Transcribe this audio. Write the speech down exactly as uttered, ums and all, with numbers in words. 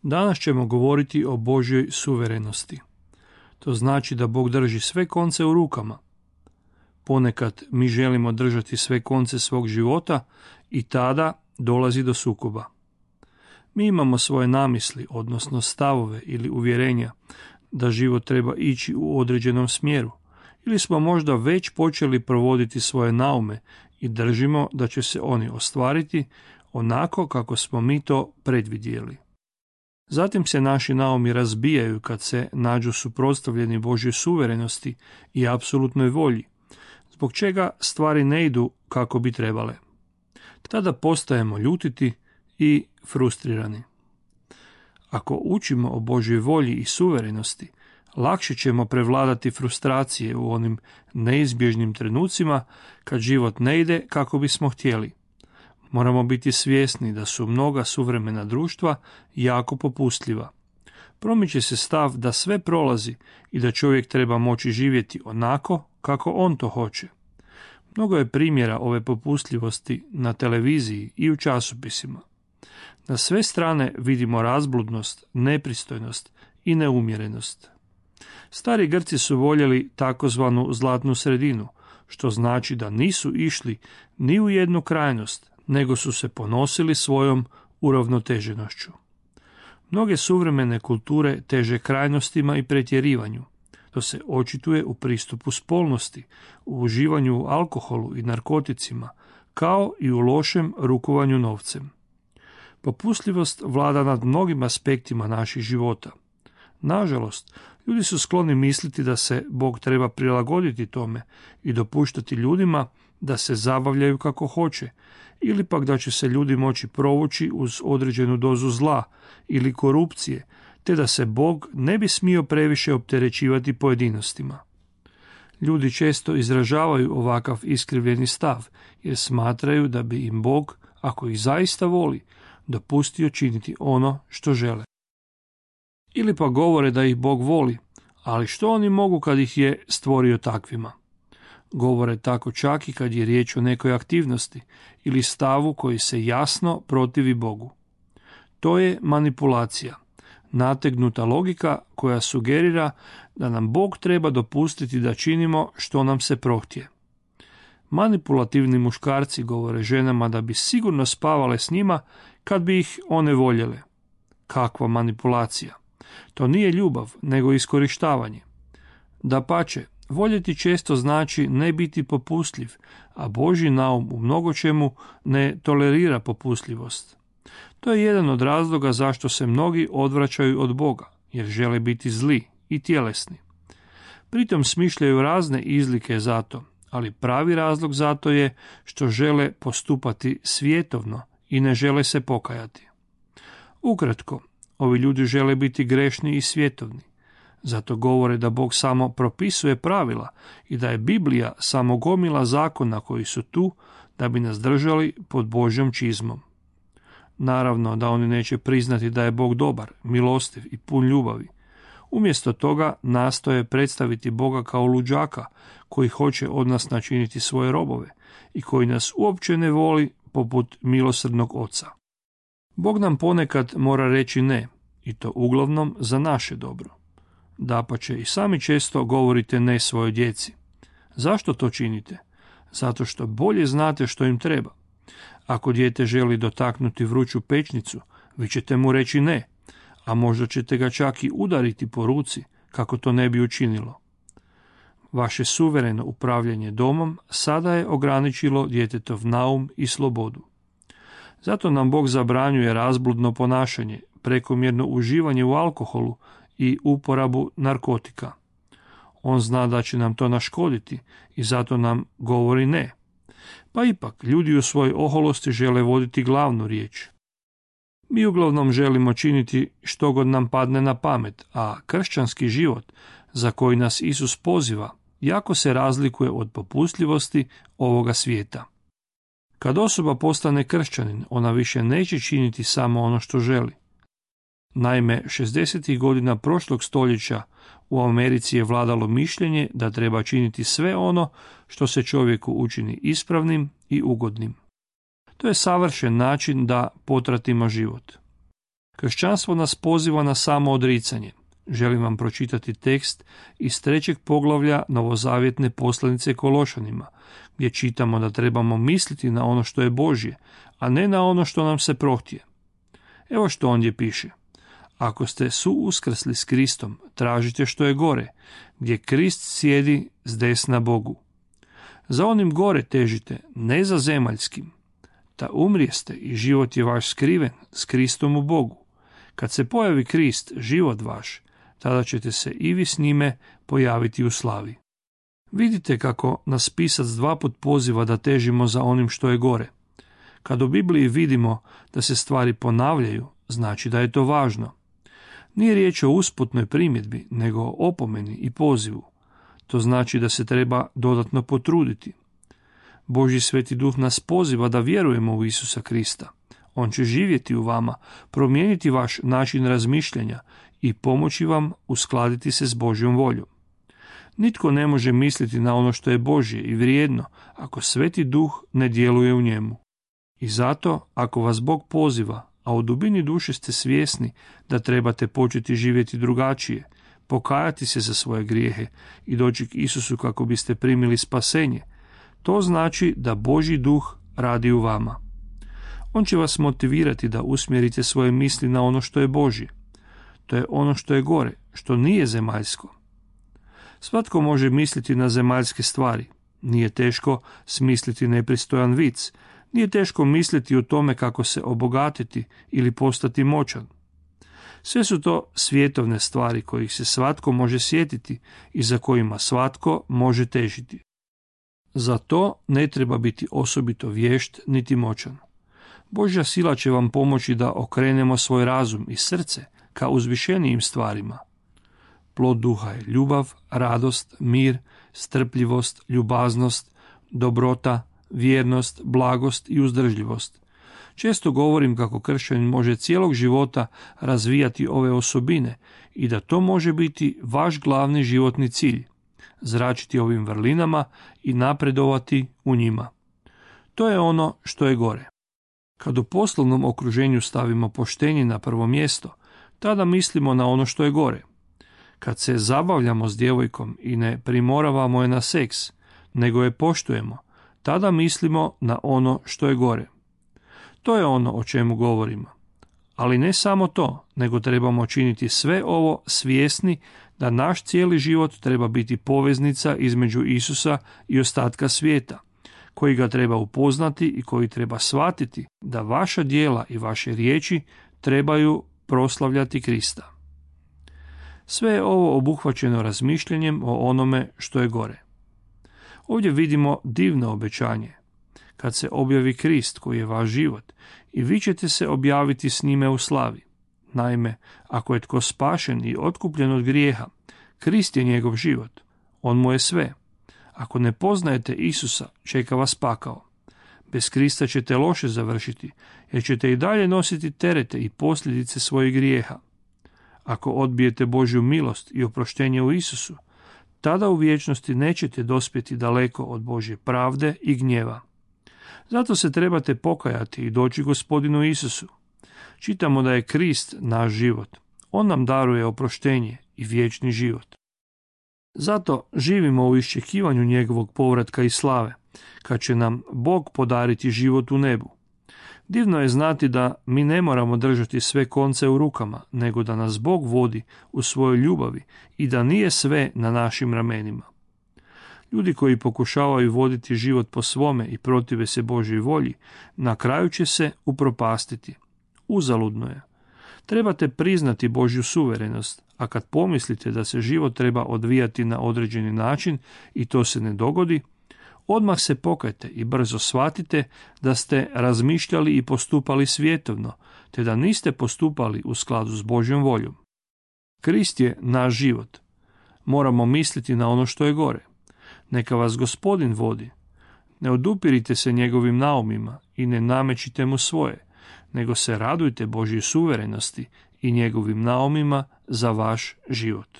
Danas ćemo govoriti o Božjoj suverenosti. To znači da Bog drži sve konce u rukama. Ponekad mi želimo držati sve konce svog života i tada dolazi do sukoba. Mi imamo svoje namisli, odnosno stavove ili uvjerenja da život treba ići u određenom smjeru, ili smo možda već počeli provoditi svoje naume i držimo da će se oni ostvariti onako kako smo mi to predvidjeli. Zatim se naši naumi razbijaju kad se nađu suprotstavljeni Božjoj suverenosti i apsolutnoj volji, zbog čega stvari ne idu kako bi trebale. Tada postajemo ljutiti i frustrirani. Ako učimo o Božjoj volji i suverenosti, lakše ćemo prevladati frustracije u onim neizbježnim trenucima kad život ne ide kako bismo htjeli. Moramo biti svjesni da su mnoga suvremena društva jako popustljiva. Promiče se stav da sve prolazi i da čovjek treba moći živjeti onako kako on to hoće. Mnogo je primjera ove popustljivosti na televiziji i u časopisima. Na sve strane vidimo razbludnost, nepristojnost i neumjerenost. Stari Grci su voljeli takozvanu zlatnu sredinu, što znači da nisu išli ni u jednu krajnost, nego su se ponosili svojom uravnoteženošću. Mnoge suvremene kulture teže krajnostima i pretjerivanju. To se očituje u pristupu spolnosti, u uživanju u alkoholu i narkoticima, kao i u lošem rukovanju novcem. Popustljivost vlada nad mnogim aspektima naših života. Nažalost, ljudi su skloni misliti da se Bog treba prilagoditi tome i dopuštati ljudima da se zabavljaju kako hoće, ili pak da će se ljudi moći provući uz određenu dozu zla ili korupcije, te da se Bog ne bi smio previše opterećivati pojedinostima. Ljudi često izražavaju ovakav iskrivljeni stav, jer smatraju da bi im Bog, ako ih zaista voli, dopustio činiti ono što žele. Ili pa govore da ih Bog voli, ali što oni mogu kad ih je stvorio takvima? Govore tako čak i kad je riječ o nekoj aktivnosti ili stavu koji se jasno protivi Bogu. To je manipulacija, nategnuta logika koja sugerira da nam Bog treba dopustiti da činimo što nam se prohtje. Manipulativni muškarci govore ženama da bi sigurno spavale s njima kad bi ih one voljele. Kakva manipulacija! To nije ljubav, nego iskorištavanje. Dapače, voljeti često znači ne biti popustljiv, a Božji naum u mnogočemu ne tolerira popustljivost. To je jedan od razloga zašto se mnogi odvraćaju od Boga, jer žele biti zli i tjelesni. Pritom smišljaju razne izlike za to, ali pravi razlog za to je što žele postupati svjetovno i ne žele se pokajati. Ukratko, ovi ljudi žele biti grešni i svjetovni. Zato govore da Bog samo propisuje pravila i da je Biblija samo gomila zakona koji su tu da bi nas držali pod Božjom čizmom. Naravno da oni neće priznati da je Bog dobar, milostiv i pun ljubavi. Umjesto toga nastoje predstaviti Boga kao luđaka koji hoće od nas načiniti svoje robove i koji nas uopće ne voli poput milosrdnog oca. Bog nam ponekad mora reći ne, i to uglavnom za naše dobro. Dapače, i sami često govorite ne svojoj djeci. Zašto to činite? Zato što bolje znate što im treba. Ako dijete želi dotaknuti vruću pećnicu, vi ćete mu reći ne, a možda ćete ga čak i udariti po ruci kako to ne bi učinilo. Vaše suvereno upravljanje domom sada je ograničilo djetetov naum i slobodu. Zato nam Bog zabranjuje razbludno ponašanje, prekomjerno uživanje u alkoholu i uporabu narkotika. On zna da će nam to naškoditi i zato nam govori ne. Pa ipak, ljudi u svojoj oholosti žele voditi glavnu riječ. Mi uglavnom želimo činiti što god nam padne na pamet, a kršćanski život, za koji nas Isus poziva, jako se razlikuje od popustljivosti ovoga svijeta. Kad osoba postane kršćanin, ona više neće činiti samo ono što želi. Naime, šezdesetih godina prošlog stoljeća u Americi je vladalo mišljenje da treba činiti sve ono što se čovjeku učini ispravnim i ugodnim. To je savršen način da potratimo život. Kršćanstvo nas poziva na samo odricanje. Želim vam pročitati tekst iz trećeg poglavlja novozavjetne poslanice Kološanima, gdje čitamo da trebamo misliti na ono što je Božje, a ne na ono što nam se prohtije. Evo što ondje piše. Ako ste suuskrsli s Kristom, tražite što je gore, gdje Krist sjedi s desna Bogu. Za onim gore težite, ne za zemaljskim. Ta umrijeste i život je vaš skriven s Kristom u Bogu. Kad se pojavi Krist, život vaš, tada ćete se i vi s njime pojaviti u slavi. Vidite kako nas pisac dva put poziva da težimo za onim što je gore. Kad u Bibliji vidimo da se stvari ponavljaju, znači da je to važno. Nije riječ o usputnoj primjedbi, nego o opomeni i pozivu. To znači da se treba dodatno potruditi. Božji Sveti Duh nas poziva da vjerujemo u Isusa Krista. On će živjeti u vama, promijeniti vaš način razmišljanja i pomoći vam uskladiti se s Božjom voljom. Nitko ne može misliti na ono što je Božje i vrijedno ako Sveti Duh ne djeluje u njemu. I zato, ako vas Bog poziva, a u dubini duše ste svjesni da trebate početi živjeti drugačije, pokajati se za svoje grijehe i doći k Isusu kako biste primili spasenje, to znači da Božji Duh radi u vama. On će vas motivirati da usmjerite svoje misli na ono što je Božje. To je ono što je gore, što nije zemaljsko. Svatko može misliti na zemaljske stvari. Nije teško smisliti nepristojan vic. Nije teško misliti o tome kako se obogatiti ili postati moćan. Sve su to svjetovne stvari kojih se svatko može sjetiti i za kojima svatko može težiti. Za to ne treba biti osobito vješt niti moćan. Božja sila će vam pomoći da okrenemo svoj razum i srce ka uzvišenijim stvarima. Plod duha je ljubav, radost, mir, strpljivost, ljubaznost, dobrota, vjernost, blagost i uzdržljivost. Često govorim kako kršćanin može cijelog života razvijati ove osobine i da to može biti vaš glavni životni cilj, zračiti ovim vrlinama i napredovati u njima. To je ono što je gore. Kad u poslovnom okruženju stavimo poštenje na prvo mjesto, tada mislimo na ono što je gore. Kad se zabavljamo s djevojkom i ne primoravamo je na seks, nego je poštujemo, tada mislimo na ono što je gore. To je ono o čemu govorimo. Ali ne samo to, nego trebamo činiti sve ovo svjesni da naš cijeli život treba biti poveznica između Isusa i ostatka svijeta, koji ga treba upoznati i koji treba shvatiti da vaša djela i vaše riječi trebaju proslavljati Krista. Sve je ovo obuhvaćeno razmišljanjem o onome što je gore. Ovdje vidimo divno obećanje. Kad se objavi Krist koji je vaš život, i vi ćete se objaviti s njime u slavi. Naime, ako je tko spašen i otkupljen od grijeha, Krist je njegov život. On mu je sve. Ako ne poznajete Isusa, čeka vas pakao. Bez Krista ćete loše završiti, jer ćete i dalje nositi terete i posljedice svojih grijeha. Ako odbijete Božju milost i oproštenje u Isusu, tada u vječnosti nećete dospjeti daleko od Božje pravde i gnjeva. Zato se trebate pokajati i doći Gospodinu Isusu. Čitamo da je Krist naš život. On nam daruje oproštenje i vječni život. Zato živimo u iščekivanju njegovog povratka i slave, kad će nam Bog podariti život u nebu. Divno je znati da mi ne moramo držati sve konce u rukama, nego da nas Bog vodi u svojoj ljubavi i da nije sve na našim ramenima. Ljudi koji pokušavaju voditi život po svome i protive se Božjoj volji, na kraju će se upropastiti. Uzaludno je. Trebate priznati Božju suverenost, a kad pomislite da se život treba odvijati na određeni način i to se ne dogodi, odmah se pokajte i brzo shvatite da ste razmišljali i postupali svjetovno, te da niste postupali u skladu s Božjom voljom. Krist je naš život. Moramo misliti na ono što je gore. Neka vas Gospodin vodi. Ne odupirite se njegovim naumima i ne namećite mu svoje, nego se radujte Božjoj suverenosti i njegovim naumima za vaš život.